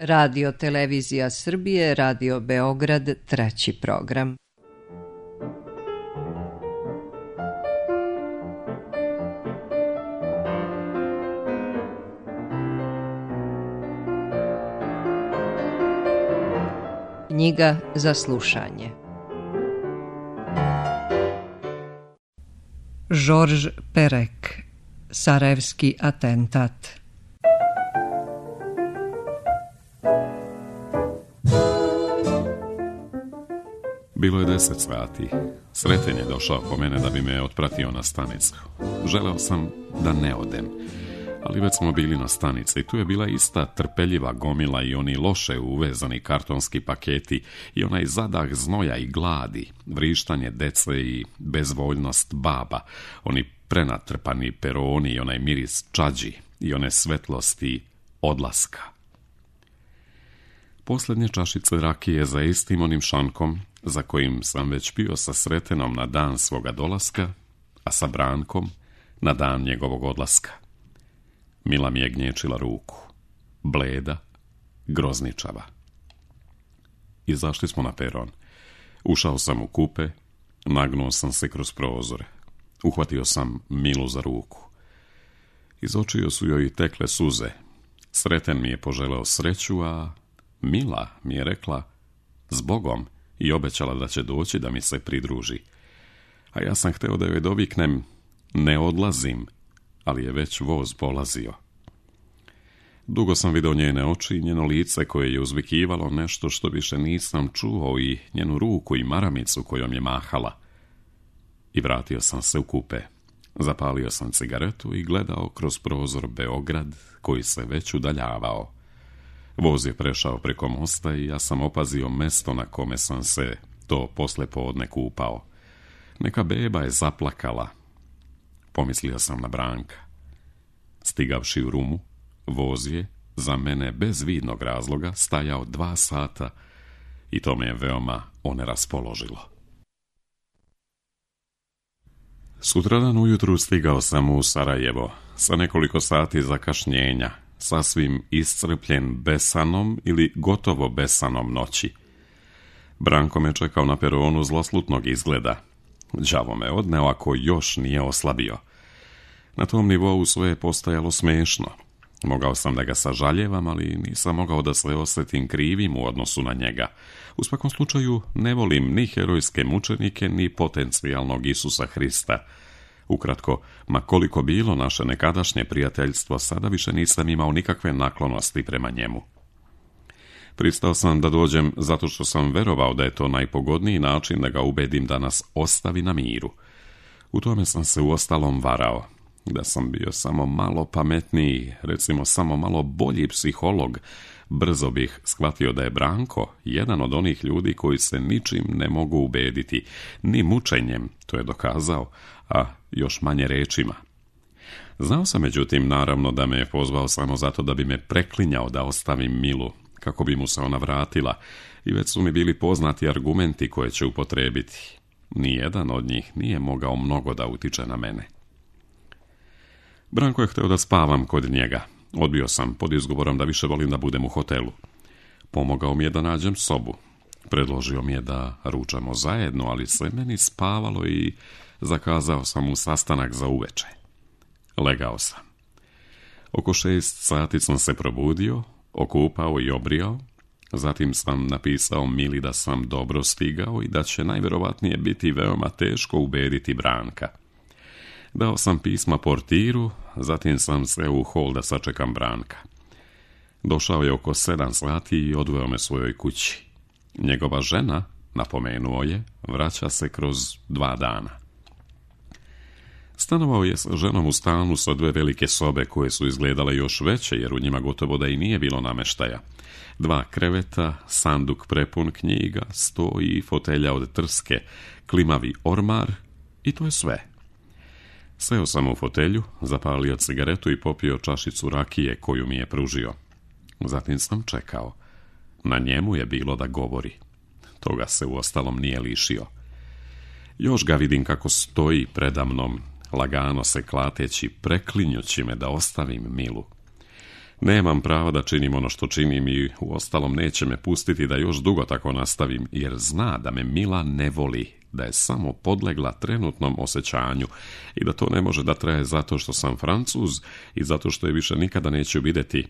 Radio Televizija Srbije, Radio Beograd, treći program. Knjiga za slušanje. Georges Perec, Sarajevski atentat. Bilo je 10 sati. Sreten je došao po mene da bi me otpratio na stanicu. Želeo sam da ne odem, ali već smo bili na stanici i tu je bila ista trpeljiva gomila i oni loše uvezani kartonski paketi i onaj zadah znoja i gladi, vrištanje dece i bezvoljnost baba, oni prenatrpani peroni i onaj miris čađi i one svetlosti odlaska. Posljednje čašice rakije za istim onim šankom za kojim sam već pio sa Sretenom na dan svoga dolaska, a sa Brankom na dan njegovog odlaska. Mila mi je gnječila ruku, bleda, grozničava. Izašli smo na peron. Ušao sam u kupe, nagnuo sam se kroz prozore. Uhvatio sam Milu za ruku. Iz očiju su joj tekle suze. Sreten mi je poželeo sreću, a Mila mi je rekla zbogom i obećala da će doći da mi se pridruži. A ja sam hteo da joj doviknem ne odlazim, ali je već voz polazio. Dugo sam vidio njene oči i njeno lice koje je uzvikivalo nešto što više nisam čuo i njenu ruku i maramicu kojom je mahala. I vratio sam se u kupe. Zapalio sam cigaretu i gledao kroz prozor Beograd koji se već udaljavao. Voz je prešao preko mosta i ja sam opazio mesto na kome sam se to poslijepodne kupao. Neka beba je zaplakala. Pomislio sam na Branka. Stigavši u Rumu, voz je, za mene bez vidnog razloga, stajao 2 sata i to me je veoma oneraspoložilo. Sutradan ujutru stigao sam u Sarajevo sa nekoliko sati zakašnjenja, sasvim iscrpljen besanom ili gotovo besanom noći. Branko me čekao na peronu zloslutnog izgleda. Đavo me odneo ako još nije oslabio. Na tom nivou sve je postajalo smešno. Mogao sam da ga sažaljevam, ali nisam mogao da se osjetim krivim u odnosu na njega. U svakom slučaju ne volim ni herojske mučenike, ni potencijalnog Isusa Hrista. Ukratko, ma koliko bilo naše nekadašnje prijateljstvo, sada više nisam imao nikakve naklonosti prema njemu. Pristao sam da dođem zato što sam verovao da je to najpogodniji način da ga ubedim da nas ostavi na miru. U tome sam se uostalom varao. Da sam bio samo malo pametniji, recimo samo malo bolji psiholog, brzo bih shvatio da je Branko jedan od onih ljudi koji se ničim ne mogu ubediti, ni mučenjem, to je dokazao, a još manje rečima. Znao sam međutim naravno da me je pozvao samo zato da bi me preklinjao da ostavim Milu, kako bi mu se ona vratila, i već su mi bili poznati argumenti koje će upotrebiti. Nijedan od njih nije mogao mnogo da utiče na mene. Branko je hteo da spavam kod njega. Odbio sam pod izgovorom da više volim da budem u hotelu. Pomogao mi je da nađem sobu. Predložio mi je da ručamo zajedno, ali se meni spavalo i zakazao sam mu sastanak za uveče. Legao sam. Oko 6 sati sam se probudio, okupao i obrijao. Zatim sam napisao Mili da sam dobro stigao i da će najverovatnije biti veoma teško ubediti Branka. Dao sam pisma portiru, zatim sam se u hol da sačekam Branka. Došao je oko 7 sati i odveo me svojoj kući. Njegova žena, napomenuo je, vraća se kroz 2 dana. Stanovao je s ženom u stanu sa 2 velike sobe koje su izgledale još veće jer u njima gotovo da i nije bilo nameštaja. 2 kreveta, sanduk prepun knjiga, sto i fotelja od trske, klimavi ormar i to je sve. Seo sam u fotelju, zapalio cigaretu i popio čašicu rakije koju mi je pružio. Zatim sam čekao. Na njemu je bilo da govori. Toga se uostalom nije lišio. Još ga vidim kako stoji predamnom, lagano se klateći, preklinjući me da ostavim Milu. Nemam prava da činim ono što činim i uostalom neće me pustiti da još dugo tako nastavim, jer zna da me Mila ne voli, da je samo podlegla trenutnom osjećanju i da to ne može da traje zato što sam Francuz i zato što je više nikada neću vidjeti,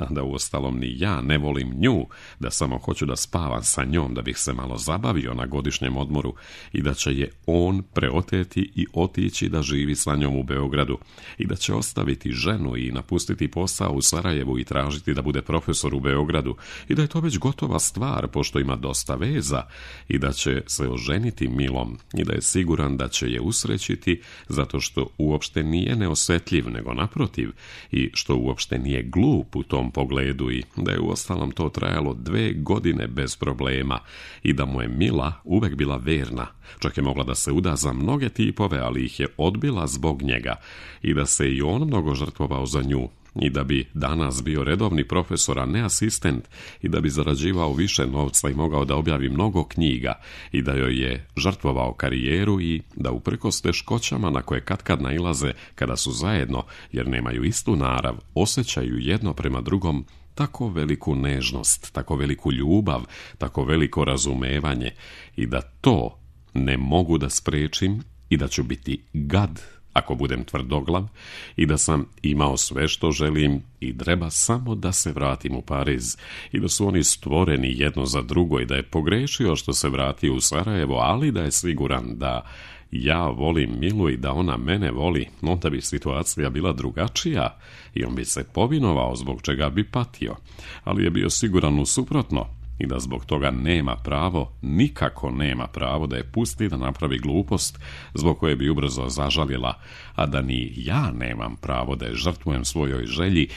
da uostalom ni ja ne volim nju, da samo hoću da spavam sa njom, da bih se malo zabavio na godišnjem odmoru i da će je on preoteti i otići da živi sa njom u Beogradu i da će ostaviti ženu i napustiti posao u Sarajevu i tražiti da bude profesor u Beogradu i da je to već gotova stvar pošto ima dosta veza i da će se oženiti Milom i da je siguran da će je usrećiti zato što uopšte nije neosjetljiv, nego naprotiv, i što uopšte nije glup u tom pogledu i da je uostalom to trajalo 2 godine bez problema i da mu je Mila uvek bila verna, čak je mogla da se uda za mnoge tipove, ali ih je odbila zbog njega i da se i on mnogo žrtvovao za nju i da bi danas bio redovni profesor, a ne asistent, i da bi zarađivao više novca i mogao da objavi mnogo knjiga i da joj je žrtvovao karijeru i da uprkos teškoćama na koje katkad nailaze kada su zajedno, jer nemaju istu narav, osjećaju jedno prema drugom tako veliku nežnost, tako veliku ljubav, tako veliko razumevanje i da to ne mogu da sprečim i da ću biti gad ako budem tvrdoglav i da sam imao sve što želim i treba samo da se vratim u Pariz i da su oni stvoreni jedno za drugo i da je pogrešio što se vratio u Sarajevo, ali da je siguran da ja volim Milu i da ona mene voli, onda bi situacija bila drugačija i on bi se povinovao zbog čega bi patio, ali je bio siguran u suprotno i da zbog toga nema pravo, nikako nema pravo da je pusti da napravi glupost zbog koje bi ubrzo zažalila, a da ni ja nemam pravo da je žrtvujem svojoj želji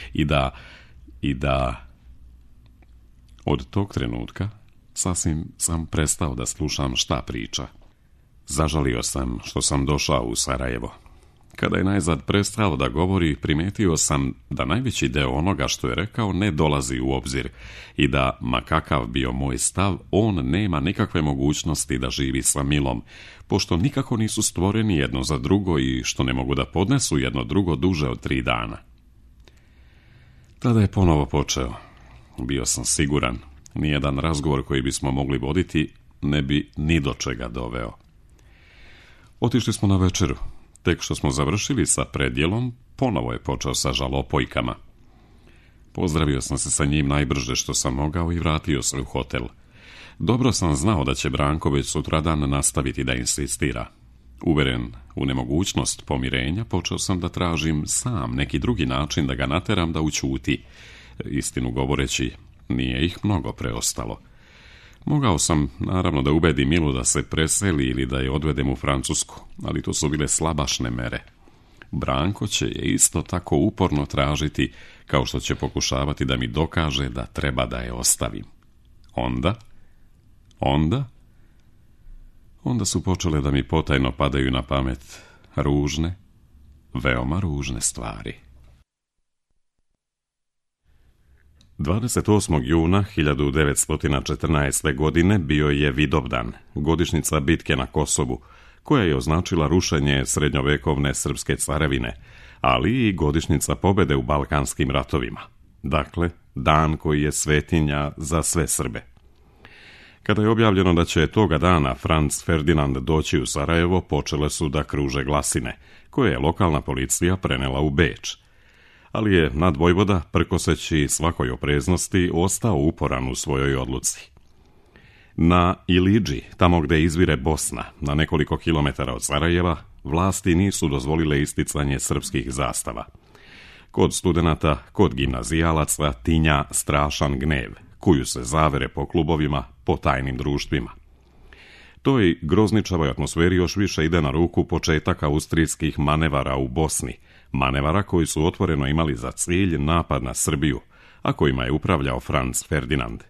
i da od tog trenutka sasvim sam prestao da slušam šta priča. Zažalio sam što sam došao u Sarajevo. Kada je najzad prestao da govori, primetio sam da najveći deo onoga što je rekao ne dolazi u obzir i da, ma kakav bio moj stav, on nema nikakve mogućnosti da živi sa Milom, pošto nikako nisu stvoreni jedno za drugo i što ne mogu da podnesu jedno drugo duže od 3 dana. Tada je ponovo počeo. Bio sam siguran, nijedan razgovor koji bismo mogli voditi ne bi ni do čega doveo. Otišli smo na večeru. Tek što smo završili sa predjelom, ponovo je počeo sa žalopojkama. Pozdravio sam se sa njim najbrže što sam mogao i vratio se u hotel. Dobro sam znao da će Branko već sutradan nastaviti da insistira. Uveren u nemogućnost pomirenja, počeo sam da tražim sam neki drugi način da ga nateram da ućuti. Istinu govoreći, nije ih mnogo preostalo. Mogao sam, naravno, da ubedim Milu da se preseli ili da je odvedem u Francusku, ali to su bile slabašne mere. Branko će je isto tako uporno tražiti, kao što će pokušavati da mi dokaže da treba da je ostavim. Onda su počele da mi potajno padaju na pamet ružne, veoma ružne stvari. 28. juna 1914. godine bio je Vidovdan, godišnjica bitke na Kosovu, koja je označila rušenje srednjovekovne srpske carevine, ali i godišnjica pobjede u Balkanskim ratovima. Dakle, dan koji je svetinja za sve Srbe. Kada je objavljeno da će toga dana Franz Ferdinand doći u Sarajevo, počele su da kruže glasine, koje je lokalna policija prenela u Beč. Ali je nadvojvoda, prkoseći svakoj opreznosti, ostao uporan u svojoj odluci. Na Ilidži, tamo gde izvire Bosna, na nekoliko kilometara od Sarajeva, vlasti nisu dozvolile isticanje srpskih zastava. Kod studenata, kod gimnazijalaca tinja strašan gnev, kuju se zavere po klubovima, po tajnim društvima. Toj grozničavoj atmosferi još više ide na ruku početak austrijskih manevara u Bosni, manevara koji su otvoreno imali za cilj napad na Srbiju, a kojima je upravljao Franz Ferdinand.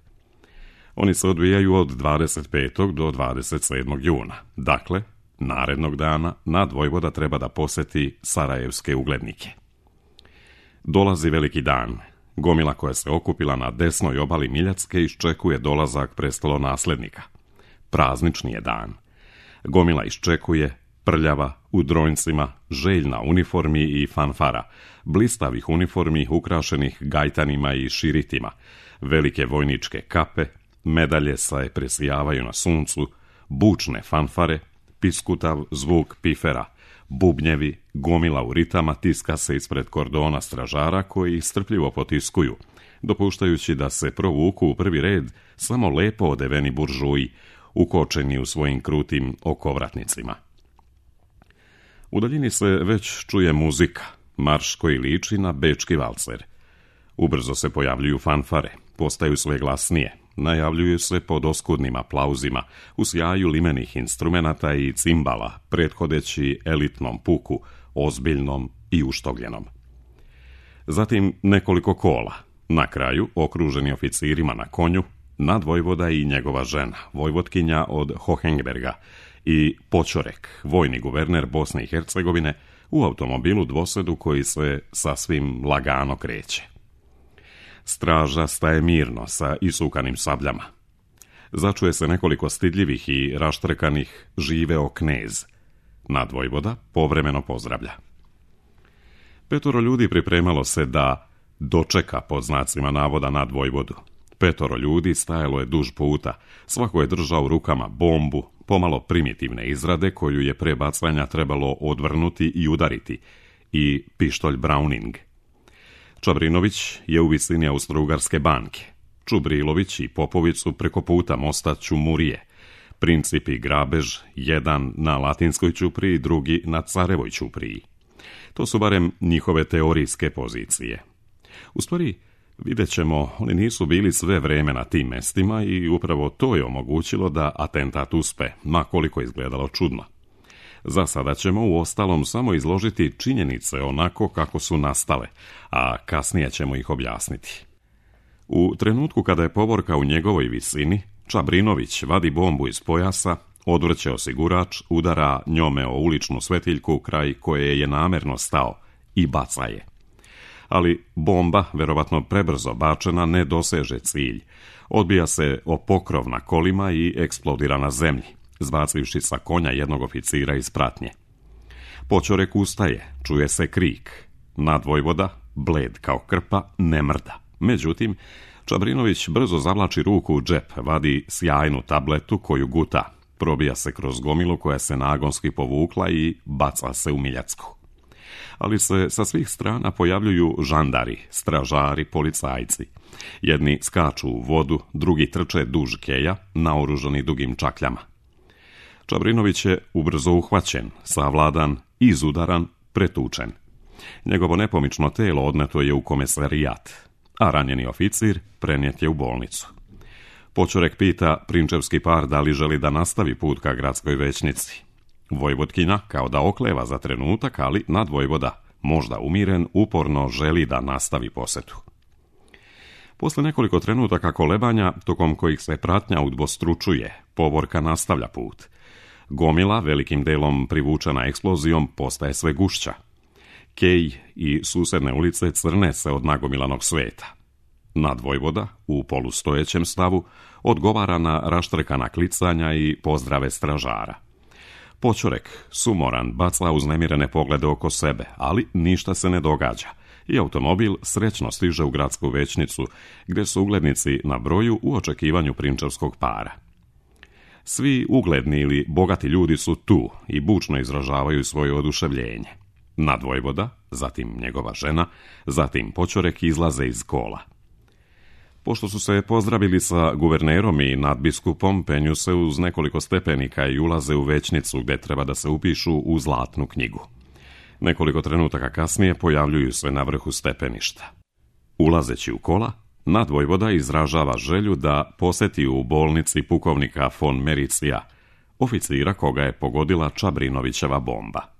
Oni se odvijaju od 25. do 27. juna. Dakle, narednog dana nadvojvoda treba da poseti sarajevske uglednike. Dolazi veliki dan. Gomila koja se okupila na desnoj obali Miljacke iščekuje dolazak prestolonaslednika. Praznični je dan. Gomila iščekuje, prljava, u dronjcima, željna uniformi i fanfara, blistavih uniformi ukrašenih gajtanima i širitima, velike vojničke kape, medalje se presijavaju na suncu, bučne fanfare, piskutav zvuk pifera, bubnjevi, gomila u ritama tiska se ispred kordona stražara koji strpljivo potiskuju, dopuštajući da se provuku u prvi red samo lepo odeveni buržuji, ukočeni u svojim krutim okovratnicima. U daljini se već čuje muzika, marš koji liči na bečki valcer. Ubrzo se pojavljuju fanfare, postaju sve glasnije, najavljuju se pod oskudnim aplauzima, u sjaju limenih instrumenata i cimbala, prethodeći elitnom puku, ozbiljnom i uštogljenom. Zatim nekoliko kola, na kraju okruženi oficirima na konju, nadvojvoda i njegova žena, vojvotkinja od Hohenberga, i Počorek, vojni guverner Bosne i Hercegovine, u automobilu dvosedu koji se sasvim lagano kreće. Straža staje mirno sa isukanim sabljama. Začuje se nekoliko stidljivih i raštrkanih živeo knez. Nadvojvoda povremeno pozdravlja. 5 ljudi pripremalo se da dočeka pod znacima navoda nadvojvodu. 5 ljudi stajalo je duž puta, svako je držao u rukama bombu, pomalo primitivne izrade koju je pre bacanja trebalo odvrnuti i udariti, i pištolj Browning. Čabrinović je u visini Austro-Ugarske banke, Čubrilović i Popović su preko puta mosta Ćumurije, Princip i grabež, jedan na Latinskoj ćupriji, drugi na Carevoj ćupriji. To su barem njihove teorijske pozicije. U stvari, vidjet ćemo, oni nisu bili sve vreme na tim mestima i upravo to je omogućilo da atentat uspe, ma koliko izgledalo čudno. Za sada ćemo u ostalom samo izložiti činjenice onako kako su nastale, a kasnije ćemo ih objasniti. U trenutku kada je povorka u njegovoj visini, Čabrinović vadi bombu iz pojasa, odvrće osigurač, udara njome o uličnu svetiljku kraj koje je namerno stao i baca je. Ali bomba, verovatno prebrzo bačena, ne doseže cilj. Odbija se o pokrov na kolima i eksplodira na zemlji, zbacivši sa konja jednog oficira iz pratnje. Počorek ustaje, čuje se krik. Nadvojvoda, bled kao krpa, ne mrda. Međutim, Čabrinović brzo zavlači ruku u džep, vadi sjajnu tabletu koju guta, probija se kroz gomilu koja se nagonski povukla i baca se u Miljacku. Ali se sa svih strana pojavljuju žandari, stražari, policajci. Jedni skaču u vodu, drugi trče duž keja, naoružani dugim čakljama. Čabrinović je ubrzo uhvaćen, savladan, izudaran, pretučen. Njegovo nepomično telo odneto je u komesarijat, a ranjeni oficir prenijet je u bolnicu. Počorek pita prinčevski par da li želi da nastavi put ka gradskoj većnici. Vojvotkinja kao da okleva za trenutak, ali nadvojvoda, možda umiren, uporno želi da nastavi posetu. Posle nekoliko trenutaka kolebanja, tokom kojih se pratnja udvostručuje, povorka nastavlja put. Gomila, velikim delom privučena eksplozijom, postaje sve gušća. Kej i susedne ulice crne se od nagomilanog sveta. Nadvojvoda, u polustojećem stavu, odgovara na raštrkana klicanja i pozdrave stražara. Počorek, sumoran, baca uznemirene poglede oko sebe, ali ništa se ne događa i automobil srećno stiže u gradsku većnicu, gdje su uglednici na broju u očekivanju prinčevskog para. Svi ugledni ili bogati ljudi su tu i bučno izražavaju svoje oduševljenje. Nadvojvoda, zatim njegova žena, zatim Počorek izlaze iz kola. Pošto su se pozdravili sa guvernerom i nadbiskupom, penju se uz nekoliko stepenika i ulaze u većnicu gdje treba da se upišu u zlatnu knjigu. Nekoliko trenutaka kasnije pojavljuju se na vrhu stepeništa. Ulazeći u kola, nadvojvoda izražava želju da poseti u bolnici pukovnika von Mericija, oficira koga je pogodila Čabrinovićeva bomba.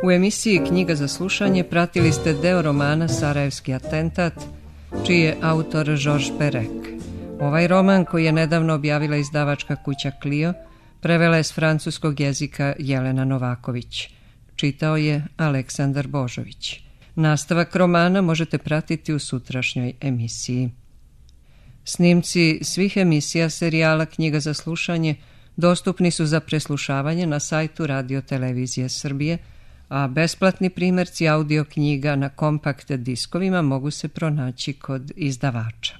U emisiji Knjiga za slušanje pratili ste deo romana Sarajevski atentat, čiji je autor Georges Perec. Ovaj roman, koji je nedavno objavila izdavačka kuća Clio, prevela je s francuskog jezika Jelena Novaković. Čitao je Aleksandar Božović. Nastavak romana možete pratiti u sutrašnjoj emisiji. Snimci svih emisija serijala Knjiga za slušanje dostupni su za preslušavanje na sajtu Radio Televizije Srbije, a besplatni primjerci audio knjiga na kompakt diskovima mogu se pronaći kod izdavača.